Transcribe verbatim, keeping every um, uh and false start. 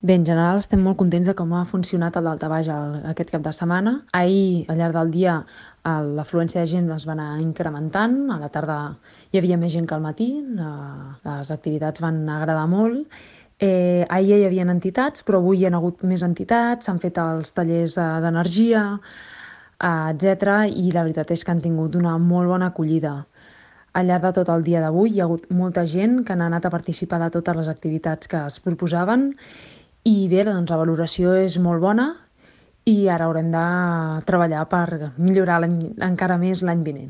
Bé, en general estem molt contents de com ha funcionat el daltabaix el aquest cap de setmana. Ahir, al llarg del dia, el l'afluència de gent es va anar incrementant. A la tarda hi havia més gent que al matí, eh, les activitats van agradar molt. Eh, ahir ja hi havia entitats, però avui hi ha hagut més entitats, s'han fet els tallers eh, d'energia, eh, etcètera, i la veritat és que han tingut una molt bona acollida. Al llarg de tot el dia d'avui hi ha hagut molta gent que han anat a participar de totes les activitats que es proposaven i bé, doncs la valoració és molt bona i ara haurem de treballar per millorar l'any encara més l'any vinent.